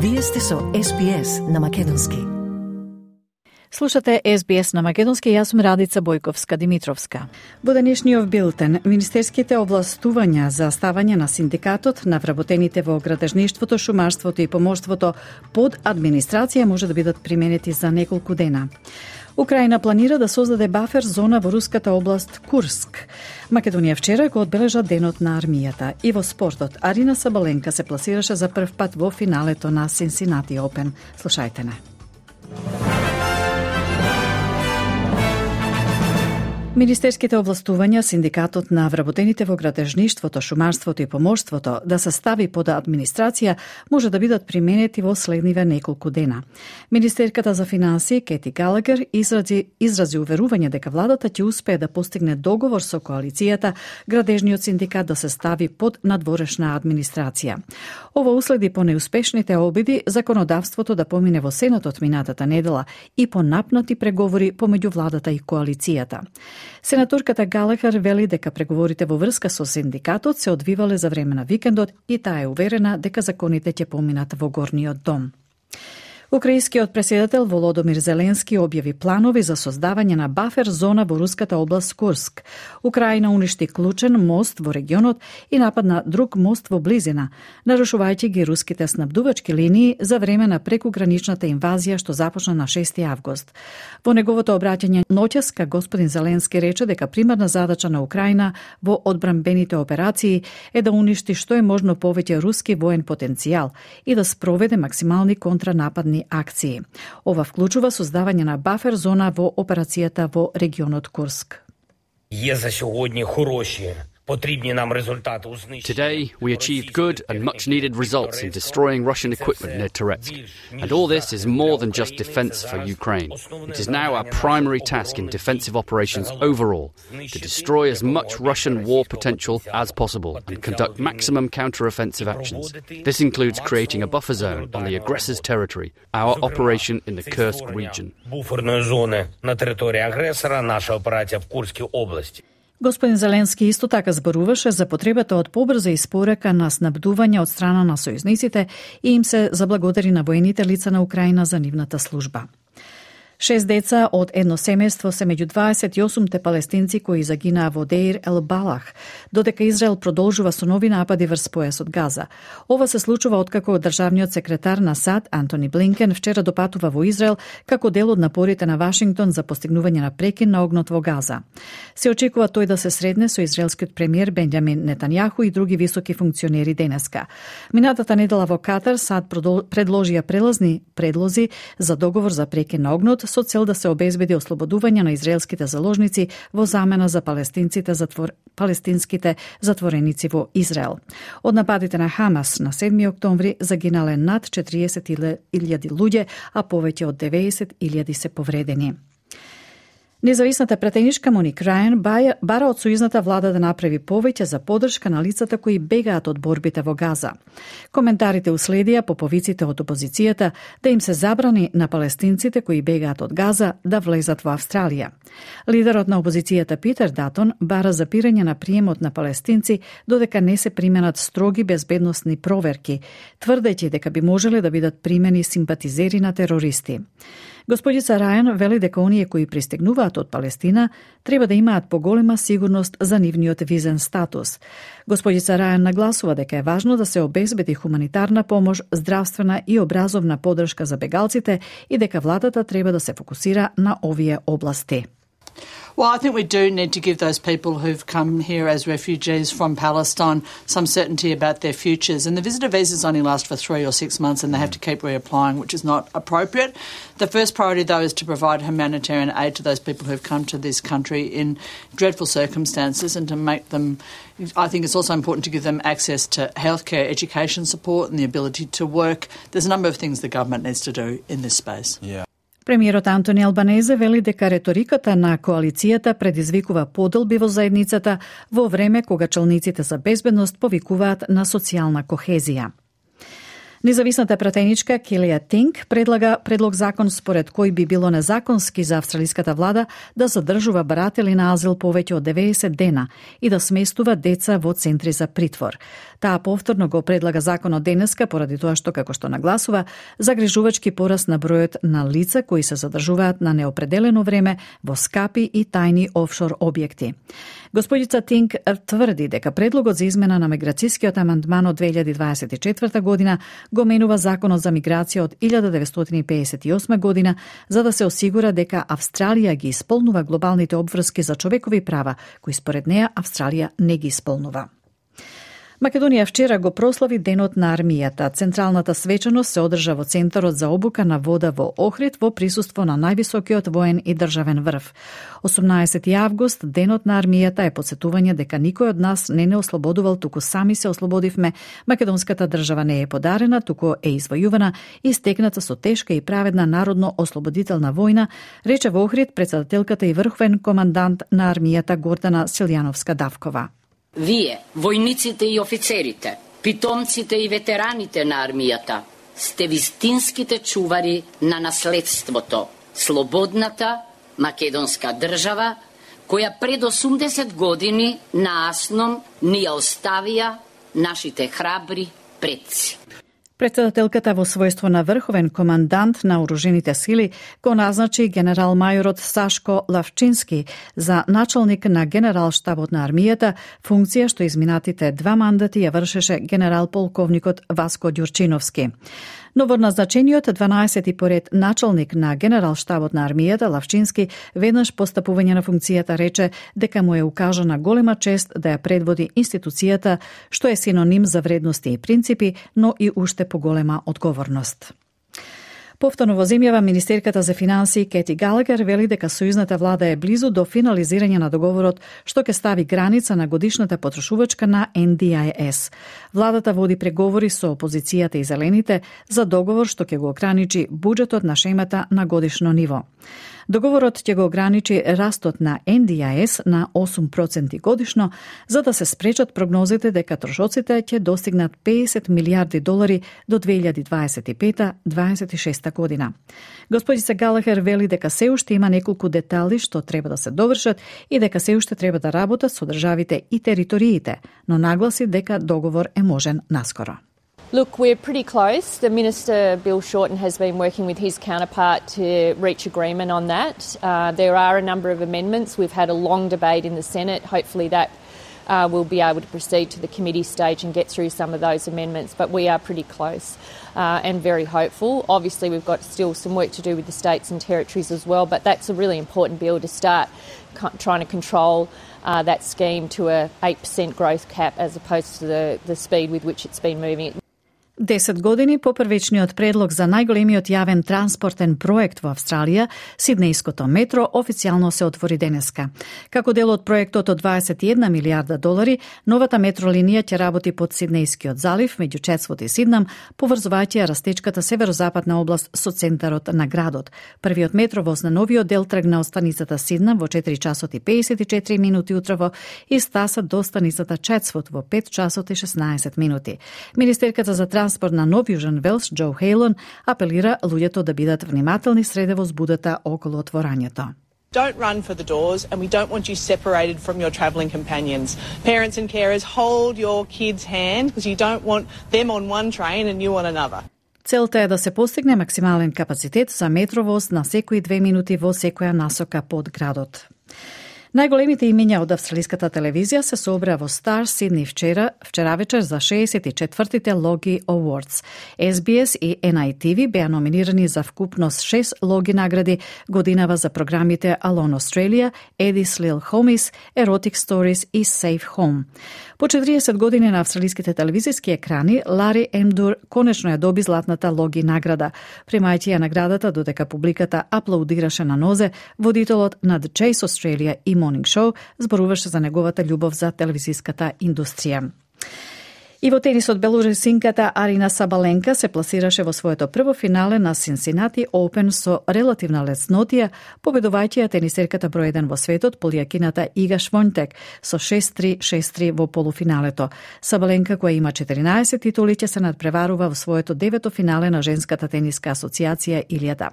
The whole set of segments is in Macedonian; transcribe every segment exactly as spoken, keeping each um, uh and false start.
Вие сте со Ес Би Ес на македонски. Слушате Ес Би Ес на македонски, јас сум Радица Бојковска-Димитровска. Во денешниот билтен, министерските овластувања за ставање на синдикатот на вработените во градежништвото, шумарството и поморството под администрација може да бидат применети за неколку дена. Украина планира да создаде бафер зона во руската област Курск. Македонија вчера го одбележа денот на армијата. И во спортот, Арина Сабаленка се пласираше за прв пат во финалето на Cincinnati Open. Слушајте не. Министерските овластувања синдикатот на вработените во градежништвото, шумарството и поморството да се стави под администрација може да бидат применети во следниве неколку дена. Министерката за финансии Кети Галагер изрази, изрази уверување дека владата ќе успее да постигне договор со коалицијата градежниот синдикат да се стави под надворешна администрација. Ова уследи по неуспешните обиди законодавството да помине во Сенатот минатата недела и по напнати преговори помеѓу владата и коалицијата. Сенаторката Галагер вели дека преговорите во врска со синдикатот се одвивале за време на викендот и таа е уверена дека законите ќе поминат во горниот дом. Украинскиот преседател Володомир Зеленски објави планови за создавање на бафер зона во руската област Курск. Украина уништи клучен мост во регионот и нападна друг мост во близина, нарушувајќи ги руските снабдувачки линии за време на прекуграничната инвазија што започна на шести август. Во неговото обраќање ноќеска господин Зеленски рече дека примарна задача на Украина во одбранбените операции е да уништи што е можно повеќе руски воен потенцијал и да спроведе максимални контранападни акции. Ова вклучува создавање на бафер зона во операцијата во регионот Курск. Є за сьогодні хороші, потрібні нам результати у знищенні. Today, we achieved good and much-needed results in destroying Russian equipment near Toretsk. And all this is more than just defense for Ukraine. It is now our primary task in defensive operations overall, to destroy as much Russian war potential as possible and conduct maximum counter-offensive actions. This includes creating a buffer zone on the aggressor's territory, our operation in the Kursk region. Буферної зони на території агресора, наша операція в Курській області. Господин Зеленски исто така зборуваше за потребата од побрза испорака на снабдување од страна на сојузниците и им се заблагодари на воените лица на Украина за нивната служба. Шест деца од едно семејство се меѓу дваесет и осумте палестинци кои загинаа во Деир ел Балах, додека Израел продолжува со нови напади врз појасот Газа. Ова се случува откако државниот секретар на САД Антони Блинкен вчера допатува во Израел како дел од напорите на Вашингтон за постигнување на прекин на огнот во Газа. Се очекува тој да се средне со израелскиот премиер Бенџамин Нетањаху и други високи функционери денеска. Минатата недела во Катар САД предложија прелазни предлози за договор за прекин на огнот со цел да се обезбеди ослободување на израелските заложници во замена за палестинците затвор... палестинските затвореници во Израел. Од нападите на Хамас на седми октомври загинале над четириесет илјади луѓе, а повеќе од деветдесет илјади се повредени. Независната пратеничка Моник Рајан бара од сојузната влада да направи повеќе за поддршка на лицата кои бегаат од борбите во Газа. Коментарите уследија по повиците од опозицијата да им се забрани на палестинците кои бегаат од Газа да влезат во Австралија. Лидерот на опозицијата Питер Датон бара запирање на приемот на палестинци додека не се применат строги безбедносни проверки, тврдејќи дека би можеле да бидат примени симпатизери на терористи. Господица Рајан вели дека оние кои пристигнуваат од Палестина треба да имаат поголема сигурност за нивниот визен статус. Господица Рајан нагласува дека е важно да се обезбеди хуманитарна помош, здравствена и образовна поддршка за бегалците и дека владата треба да се фокусира на овие области. Well, I think we do need to give those people who've come here as refugees from Palestine some certainty about their futures. And the visitor visas only last for three or six months and they have to keep reapplying, which is not appropriate. The first priority, though, is to provide humanitarian aid to those people who've come to this country in dreadful circumstances and to make them, I think it's also important to give them access to healthcare, education support and the ability to work. There's a number of things the government needs to do in this space. Yeah. Премиерот Антони Албанезе вели дека реториката на коалицијата предизвикува поделби во заедницата во време кога челниците за безбедност повикуваат на социјална кохезија. Независната пратеничка Келија Тинг предлага предлог закон според кој би било незаконски за австралиската влада да задржува баратели на азил повеќе од деветдесет дена и да сместува деца во центри за притвор. Таа повторно го предлага законот денеска поради тоа што, како што нагласува, загрижувачки пораст на бројот на лица кои се задржуваат на неопределено време во скапи и тајни офшор објекти. Господица Тинг тврди дека предлогот за измена на миграцијскиот амандман од две илјади дваесет и четврта година го менува законот за миграција од илјада деветстотини пеесет и осма година за да се осигура дека Австралија ги исполнува глобалните обврски за човекови права, кои според неа Австралија не ги исполнува. Македонија вчера го прослави Денот на армијата. Централната свечаност се одржа во Центарот за обука на вода во Охрид во присуство на највисокиот воен и државен врв. осумнаесети август, Денот на армијата е потсетување дека никој од нас не не ослободувал, туку сами се ослободивме. Македонската држава не е подарена, туку е извојувана и стекната со тешка и праведна народно-ослободителна војна, рече во Охрид председателката и врховен командант на армијата Гордана Силјановска-Давкова. Вие, војниците и офицерите, питомците и ветераните на армијата, сте вистинските чувари на наследството, слободната македонска држава, која пред осумдесет години на Асном ни ја оставија нашите храбри предци. Председателката во својство на врховен командант на оружените сили го назначи генерал-мајорот Сашко Лавчински за началник на генерал-штабот на армијата, функција што изминатите два мандати ја вршеше генерал-полковникот Васко Ѓурчиновски. Новоназначениот дванаесети поред началник на генерал-штабот на армијата Лавчински веднаш по стапување на функцијата рече дека му е укажана голема чест да ја предводи институцијата, што е синоним за вредности и принципи, но и уште поголема одговорност. Повторно во земјава министерката за финансии Кети Галагер вели дека сојузната влада е близу до финализирање на договорот што ќе стави граница на годишната потрошувачка на Ен Ди Ај Ес. Владата води преговори со опозицијата и зелените за договор што ќе го ограничи буџетот на шемата на годишно ниво. Договорот ќе го ограничи растот на Ен Ди Ај Ес на осум проценти годишно, за да се спречат прогнозите дека трошоците ќе достигнат педесет милијарди долари до две илјади дваесет и пета - дваесет и шеста година. Господица Галахер вели дека се уште има неколку детали што треба да се довршат и дека се уште треба да работат со државите и териториите, но нагласи дека договор е можен наскоро. Look, we're pretty close. The Minister, Bill Shorten, has been working with his counterpart to reach agreement on that. Uh, there are a number of amendments. We've had a long debate in the Senate. Hopefully that uh, will be able to proceed to the committee stage and get through some of those amendments. But we are pretty close uh, and very hopeful. Obviously, we've got still some work to do with the states and territories as well, but that's a really important bill to start co- trying to control uh, that scheme to a eight percent growth cap as opposed to the, the speed with which it's been moving. Десет години по првичниот предлог за најголемиот јавен транспортен проект во Австралија, Сиднејското метро, официјално се отвори денеска. Како дел од проектот од дваесет и една милијарда долари, новата метролинија ќе работи под Сиднејскиот залив, меѓу Четсвот и Сиднам, поврзувајќи ја растечката северозападна област со центарот на градот. Првиот метровоз на новиот дел тргна од станицата Сиднам во четири часот и педесет и четири минути утрово и стаса до станицата Четсвот во пет часот и шеснаесет минути. Министерката за транспорт на Нов Јужен Велс, Џо Хейлон, апелира луѓето да бидат внимателни среде возбудата околу отворањето. Don't run for the doors, and we don't want you separated from your travelling companions. Parents and carers, hold your kids' hand because you don't want them on one train and you on another. Целта е да се постигне максимален капацитет за метровоз на секои две минути во секоја насока под градот. Најголемите имиња од австралиската телевизија се собра во Стар Сидни вчера, вчера вечер за шеесет и четвртите Логи Awards. Ес Би Ес и Ен Ај Ти Ви беа номинирани за вкупност шест Логи награди годинава за програмите Alone Australia, Eddie's Little Homies, Erotic Stories и Safe Home. По четириесет години на австралиските телевизиски екрани, Лари Емдур конечно ја доби златната Логи награда. Примајќи ја наградата додека публиката аплаудираше на нозе, водителот на The Chase Australia и Morning Show зборуваше за неговата љубов за телевизиската индустрија. И во тенисот белорусинката Арина Сабаленка се пласираше во своето прво финале на Cincinnati Open со релативна леснотија, победувајќи ја тенисерката број еден во светот, полијакината Ига Швонтек, со шест три шест три во полуфиналето. Сабаленка, која има четиринаесет титули, ќе се надпреварува во своето девето финале на Женската тениска асоциација Илјада.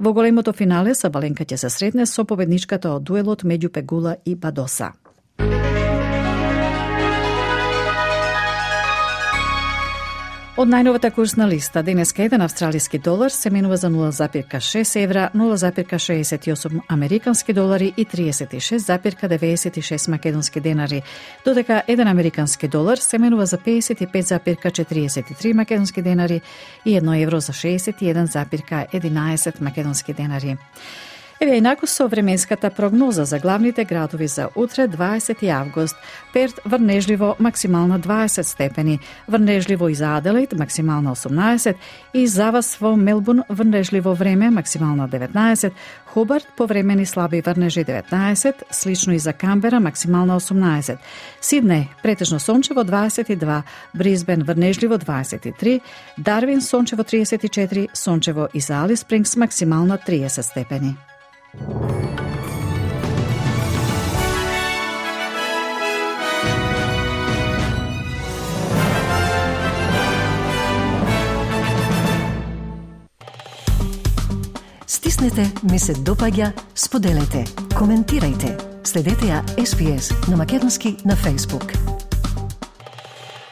Во големото финале Сабаленка ќе се сретне со победничката од дуелот меѓу Пегула и Бадоса. Од најновата курсна листа, денеска еден австралиски долар се менува за нула запирка шест евра, нула запирка шеесет и осум американски долари и триесет и шест запирка деветдесет и шест македонски денари, додека еден американски долар се менува за педесет и пет запирка четириесет и три македонски денари и едно евро за шеесет и еден запирка единаесет македонски денари. Еве инаку со временската прогноза за главните градови за утре, дваесети август. Перт врнежливо максимална дваесет степени, врнежливо и за Аделаид максимална осумнаесет и за вас во Мелбурн врнежливо време максимална деветнаесет, Хобарт повремени слаби врнежи деветнаесет, слично и за Камбера максимална осумнаесет, Сиднеј претежно сончево дваесет и два, Брисбен врнежливо дваесет и три, Дарвин сончево триесет и четири, сончево и за Алис Спрингс максимална триесет степени. Стиснете, ми се допаѓа, споделете, коментирајте. Следете ја Ес Би Ес на македонски на Facebook.